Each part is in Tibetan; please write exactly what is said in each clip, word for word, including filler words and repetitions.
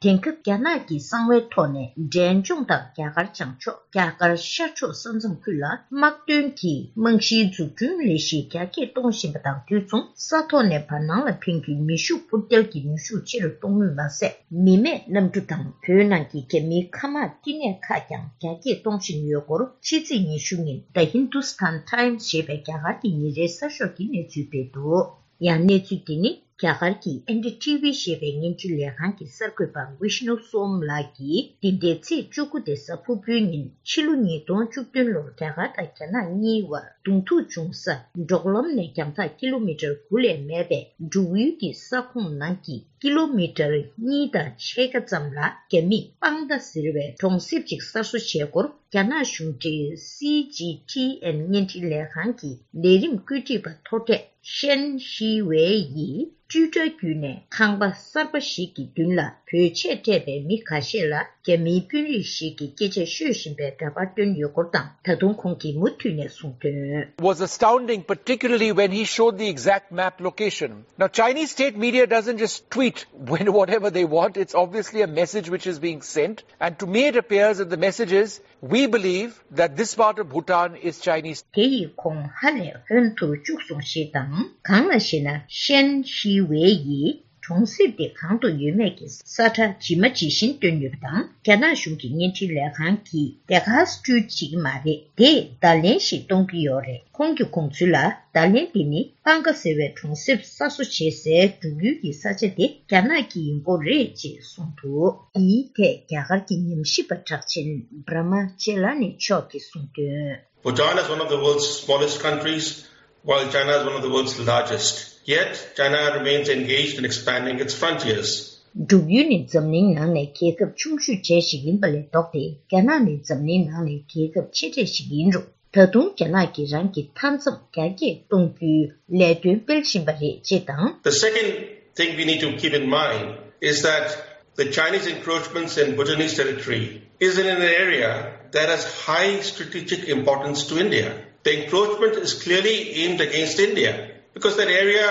དེང་སྐབས་རྒྱ་ནག་གི་གསང་བའི་ཐོག་ནས་འབྲས་ལྗོངས་དང་རྒྱ་གར་བྱང་ཕྱོགས། རྒྱ་གར་ཤར་ཕྱོགས་ས་མཚམས་ཁུལ་ལ་དམག་དོན་གྱི་རྨང་གཞིའི་འཛུགས་སྐྲུན་ལས་གཞི་རྒྱ་སྐྱེད་གཏོང་བཞིན་པ་དང་དུས་མཚུངས། ས་ཐོག་ནས་བར་སྣང་ལ་འཕེན་རྒྱུའི་མེ་ཤུགས་འཕུར་མདེལ་གྱི་ནུས་ཤུགས་ཆེ་རུ་གཏོང་མུས་མ་ཟད། མི་མེད་གནམ་གྲུ་དང་བོད་ནང་གི་རྒྱ་མིའི་མཁའ་དམག་བསྟི་གནས་ཁག་ཀྱང་རྒྱ་སྐྱེད་གཏོང་བཞིན་ཡོད་སྐོར། ཕྱི་ཚེས་ཉི་ཤུ་ཉིན་The Hindustan Times ཞེས་པའི་རྒྱ་གར་གྱི་ཉིན་རེའི་གསར་ཤོག་གིས་གནས་ཚུལ་སྤེལ་འདུག། ཡང་གནས་ཚུལ་འདི་ནི་རྒྱ་གར་གྱི་ཨེན་ཌི་ཊི་ཝི་ཞེས་པའི་བརྙན་འཕྲིན་ལས་ཁང་གི་གསར་འགོད་པ་ཝིཤ་ནུ་སོམ་ལགས་ཀྱིས་འདི་ཟླའི་ཚེས་བཅུ་དགུ་སྟེ་གཟའ་ཕུར་བུའི་ཉིན་ཕྱི་ལོ་ཉིས་སྟོང་བཅུ་བདུན་ལོར་རྒྱ་གར་དང་རྒྱ་ནག་གཉིས་བར་གདོང་ཐུག་བྱུང་ས་འབྲོག་ལམ་ནས་རྒྱང་ཐག་ཀི་ལོ་མི་ཊར་དགུ་ལས་མེད་པའི་འབྲུག་ཡུལ་གྱི་ས་ཁོངས་ནང་གི་ཀི་ལོ་མི་ཊར་གཉིས་དང་ཕྱེད་ཀ་ཙམ་ལ་རྒྱ་མིས་པང་ཏ་ཟེར་བའི་གྲོང་གསེབ་ཅིག་གསར་བཟོ་བྱས་སྐོར། རྒྱ་ནག་གཞུང་འབྲེལ་སི་ཇི་ཊི་ཨེན་བརྙན་འཕྲིན་ལས་ཁང་གི་ལས་རིམ་བཀོད་སྒྲིག་པ་མཐོ་གྲས་ཤན་ཤི་ཝེ་ཡིས་ཊུའི་ཊར་བརྒྱུད་ནས་ཁང་པ་གསར་པ་ཞིག་གི་མདུན་ལ་བོད་ཆས་སྤྲས་པའི་མི་ཁ་ཤས་ལ་རྒྱ་མིའི་དཔོན་རིགས་ཤིག་གིས་སྐད་ཆ་ཤོད་བཞིན་པའི་འདྲ་པར་བཏོན་ཡོད་སྐོར་དང་། ད་དུང་ཁོང་གིས་མུ་མཐུད་ནས་གསུངས་དོན། Was astounding, particularly when he showed the exact map location. Now, Chinese state media doesn't just tweet when whatever they want. It's obviously a message which is being sent. And to me, it appears that the message is, we believe that this part of Bhutan is Chinese. དེ་ཡིས་ཁོང་ཧ་ལས་ཧོན་ཐོར་བཅུག་སོང་ཞེས་དང་། གང་ལ་ཞེ་ན། ཤན་ཤི་ཝེ་ཡིས་གྲོང་གསེབ་དེ་གང་དུ་ཡོད་མེད་ཀྱི་ས་ཁྲ་ཇི་མ་ཇི་བཞིན་བཏོན་ཡོད་པ་དང་། རྒྱ་ནག་གཞུང་གི་བརྙན་འཕྲིན་ལས་ཁང་གིས་དེ་ག་སྤྲུལ་བྱེད་ཀྱི་མ་རེད། དེས་བརྡ་ལན་ཞིག་གཏོང་གི་ཡོད་རེད། ཁོང་གི་དགོངས་ཚུལ་ལ། བརྡ་ལན་འདི་ནི་པང་ཀ་ཟེར་བའི་གྲོང་གསེབ་གསར་བཟོ་བྱེད་སའི་འབྲུག་ཡུལ་གྱི་ས་ཆ་དེ་རྒྱ་ནག་གི་ཡིན་སྐོར་རེད་ཅེས་གསུངས་འདུག། འདིའི་ཐད་རྒྱ་གར་གྱི་ཉམས་ཞིབ་པ་གྲགས་ཆེན་བྷྲ་མ་ཅེ་ལ་ནི་མཆོག་གིས་གསུངས་དོན། Bhutan is one of the world's smallest countries, while China is one of the world's largest. Yet, China remains engaged in expanding its frontiers. འབྲུག་ཡུལ་ནི་འཛམ་གླིང་ནང་ནས་རྒྱལ་ཁབ་ཆུང་ཤོས་གྲས་ཤིག་ཡིན་པ་ལས་ལྡོག་སྟེ། རྒྱ་ནག་ནི་འཛམ་གླིང་ནང་ནས་རྒྱལ་ཁབ་ཆེ་གྲས་ཤིག་ཡིན་རུང་། ད་དུང་རྒྱ་ནག་གིས་རང་གི་མཐའ་མཚམས་རྒྱ་སྐྱེད་གཏོང་རྒྱུའི་ལས་དོན་སྤེལ་བཞིན་པ་རེད་ཅེས་དང་། The second thing we need to keep in mind is that the Chinese encroachments in Bhutanese territory is in an area that has high strategic importance to India. The encroachment is clearly aimed against India because that area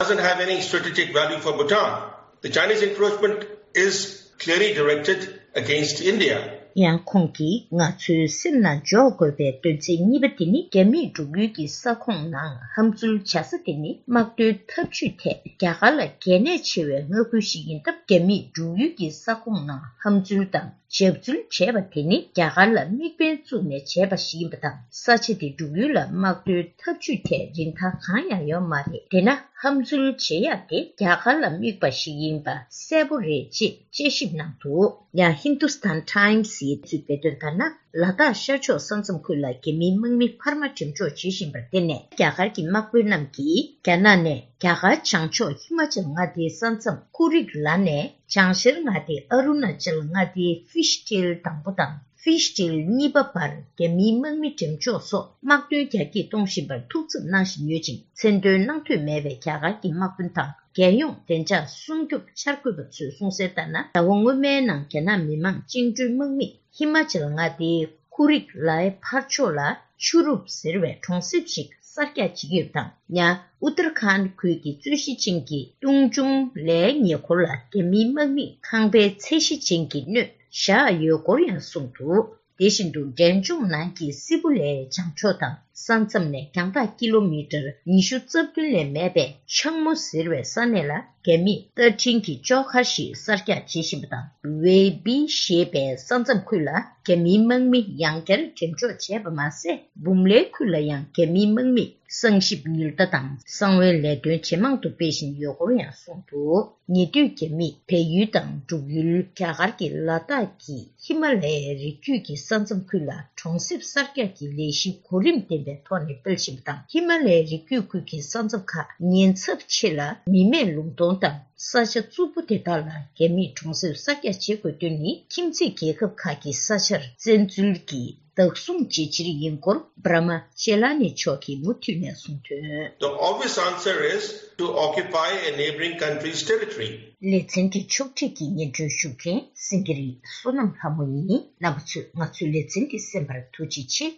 doesn't have any strategic value for Bhutan. The Chinese encroachment is clearly directed against India. ཡང་ཁོང་གིས་ང་ཚོའི་སེམས་ནང་འཇོག་དགོས་པའི་དོན་ཚན་གཉིས་པ་དེ་ནི། རྒྱ་མིས་འབྲུག་ཡུལ་གྱི་ས་ཁོངས་ནང་ཧམ་འཛུལ་བྱ་ས་དེ་ནི་དམག་དོན་འཐབ་ཇུས་ཐད་རྒྱ་གར་ལ་གལ་གནད་ཆེ་བའི་མངའ་ཁུལ་ཞིག་ཡིན་སྟབས། རྒྱ་མིས་འབྲུག་ཡུལ་གྱི་ས་ཁོངས་ནང་ཧམ་འཛུལ་དང་། འཇབ་འཛུལ་བྱས་པ་དེ་ནི་རྒྱ་གར་ལ་དམིགས་འབེན་བཙུགས་ནས་བྱས་པ་ཞིག་ཡིན་པ་དང་། ས་ཆ་དེ་འབྲུག་ཡུལ་ལ་དམག་དོན་འཐབ་ཇུས་ཐད་རིན་ཐང་གང་ཡང་ཡོད་མ་རེད། དེས་ན་ཧམ་འཛུལ་བྱེད་ཡག་དེ་རྒྱ་གར་ལ་དམིགས་པ་ཞིག་ཡིན་པ་གསལ་པོ་རེད་ཅེས་དཔྱད་ཞིབ་གནང་འདུག། ཡང་ཧིན་དུ་སི་ཐན་ཊའིམ་སི་ཡིས་གནས་ཚུལ་སྤེལ་དོན་ལྟར་ན། ལ་དྭགས་ཤར་ཕྱོགས་ས་མཚམས་ཁུལ་ལ་རྒྱ་མིའི་དམག་མི་འཕར་མ་འགྲེམས་འཇོག་བྱེད་བཞིན་པར་བརྟེན་ནས། རྒྱ་གར་གྱི་དམག་དཔོན་རྣམས་ཀྱིས་རྒྱ་ནག་ནས་རྒྱ་གར་བྱང་ཕྱོགས་ཧི་མ་ཅལ་མངའ་སྡེའི་ས་མཚམས་ཀུ་རིག་ལ་ནས། བྱང་ཤར་མངའ་སྡེ་ཨ་རུ་ན་ཅལ་མངའ་སྡེའི་ཧྥིཤ་ཊེལ་དང་པོ་དང་ཧྥིཤ་ཊེལ་གཉིས་པ་བར་རྒྱ་མིའི་དམག་མི་འགྲེམས་འཇོག་སོགས་དམག་དོན་རྒྱ་སྐྱེད་གཏོང་བཞིན་པར་ཐུགས་འཚབ་གནང་བཞིན་ཡོད་ཅིང་། མཚན་འདོན་གནང་འདོད་མེད་པའི་རྒྱ་གར་གྱི་དམག་དཔོན་དང་། རྒྱལ་ཡོངས་བདེ་འཇགས་སྲུང་སྐྱོབ་འཆར་འགོད་པ་ཚོས་གསུངས་གསལ་ལྟར་ན། ཟླ་བ་སྔོན་མའི་ནང་རྒྱ་ནག་མི་དམངས་བཅིངས་འགྲོལ་དམག་མིས་ཧི་མ་ཅལ་མངའ་སྡེའི་ཀུ་རིག་ལའི་ཕར་ཕྱོགས་ལ་ཆུ་རུབ་ཟེར་བའི་གྲོང་གསེབ་ཞིག་གསར་རྒྱག་བྱེད་ཀྱི་ཡོད་པ་དང་། ཡང་ཨུ་ཏར་ཁཱན་ཁུལ་གྱི་རྩོད་གཞི་ཅན་གྱི་ཏུང་ཅུང་ལའི་ཉེ་འཁོར་ལ་རྒྱ་མིའི་དམག་མིས་ཁང་པའི་ཚད་གཞི་ཅན་གྱི་སྣོད་བཞག་ཡོད་སྐོར་ཡང་གསུངས་འདུག། དེ་བཞིན་དུ། འབྲས་ལྗོངས་ནང་གི་སི་པུ་ལའི་བྱང་ཕྱོགས་དང་ས་མཚམས་ནས་རྒྱང་ཐག་ཀི་ལོ་མི་ཊར་ཉི་ཤུ་རྩ་བདུན་ལས་མེད་པའི་ཆང་མོ་ཟེར་བའི་ས་གནས་ལ། རྒྱ་མིས་རྟ་འཕྲིན་གྱི་ལྕོག་མཁར་ཞིག་གསར་རྒྱག་བྱེད་བཞིན་པ་དང་། ཝེ་བི་ཞེས་པའི་ས་མཚམས་ཁུལ་ལ་རྒྱ་མིའི་དམག་མི་ཡང་བསྐྱར་འགྲེམས་འཇོག་བྱས་པ་མ་ཟད། འབུམ་ལའི་ཁུལ་ལ་ཡང་རྒྱ་མིའི་དམག་མིས་གསང་ཞིབ་ཉུལ་ལྟ་དང་གསང་བའི་ལས་དོན་ཇེ་མང་དུ་སྤེལ་བཞིན་ཡོད་སྐོར་ཡང་གསུངས་འདུག། ཉེ་དུས་རྒྱ་མིས་བལ་ཡུལ་དང་འབྲུག་ཡུལ། རྒྱ་གར་གྱི་ལ་དྭགས་ཀྱི་ཧི་མ་ལ་ཡའི་རི་རྒྱུད་ཀྱི་ས་མཚམས་ཁུལ་ལ་གྲོང་གསེབ་གསར་རྒྱག་གི་ལས་གཞི་གོ་རིམ་ལྡན་པའི་ཐོག་ནས་སྤེལ་བཞིན་པ་དང་། ཧི་མ་ལ་ཡའི་རི་རྒྱུད་ཁུལ་གྱི་ས་མཚམས་ཁག་ཉེན་ཚབས་ཆེ་ལ་མི་མེད་ལུང་སྟོང་དང་ས་ཆ་རྩུབ་པོ་དེ་དག་ལ་རྒྱ་མིས་གྲོང་གསེབ་གསར་རྒྱག་བྱེད་དགོས་དོན་ནི། ཁྱིམ་མཚེས་རྒྱལ་ཁབ་ཁག་གི་ས་ཆར་བཙན་འཛུལ་གྱིས་བདག་བཟུང་བྱེད་ཕྱིར་ཡིན་སྐོར། བྷྲ་མ་ཅེ་ལ་ནི་མཆོག་གིས་མུ་མཐུད་ནས་གསུངས་དོན། The obvious answer is to occupy a neighboring country's territory. ལེ་ཚན་འདི་ཕྱོགས་སྒྲིག་གིས་སྙན་སྒྲོན་ཞུ་མཁན་སེང་གེ་རི་བསོད་ནམས་ལྷ་མོ་ཡིན། རྣམ་པ་ཚོས་ང་ཚོའི་ལེ་ཚན་འདི་གསན་པར་ཐུགས་རྗེ་ཆེ།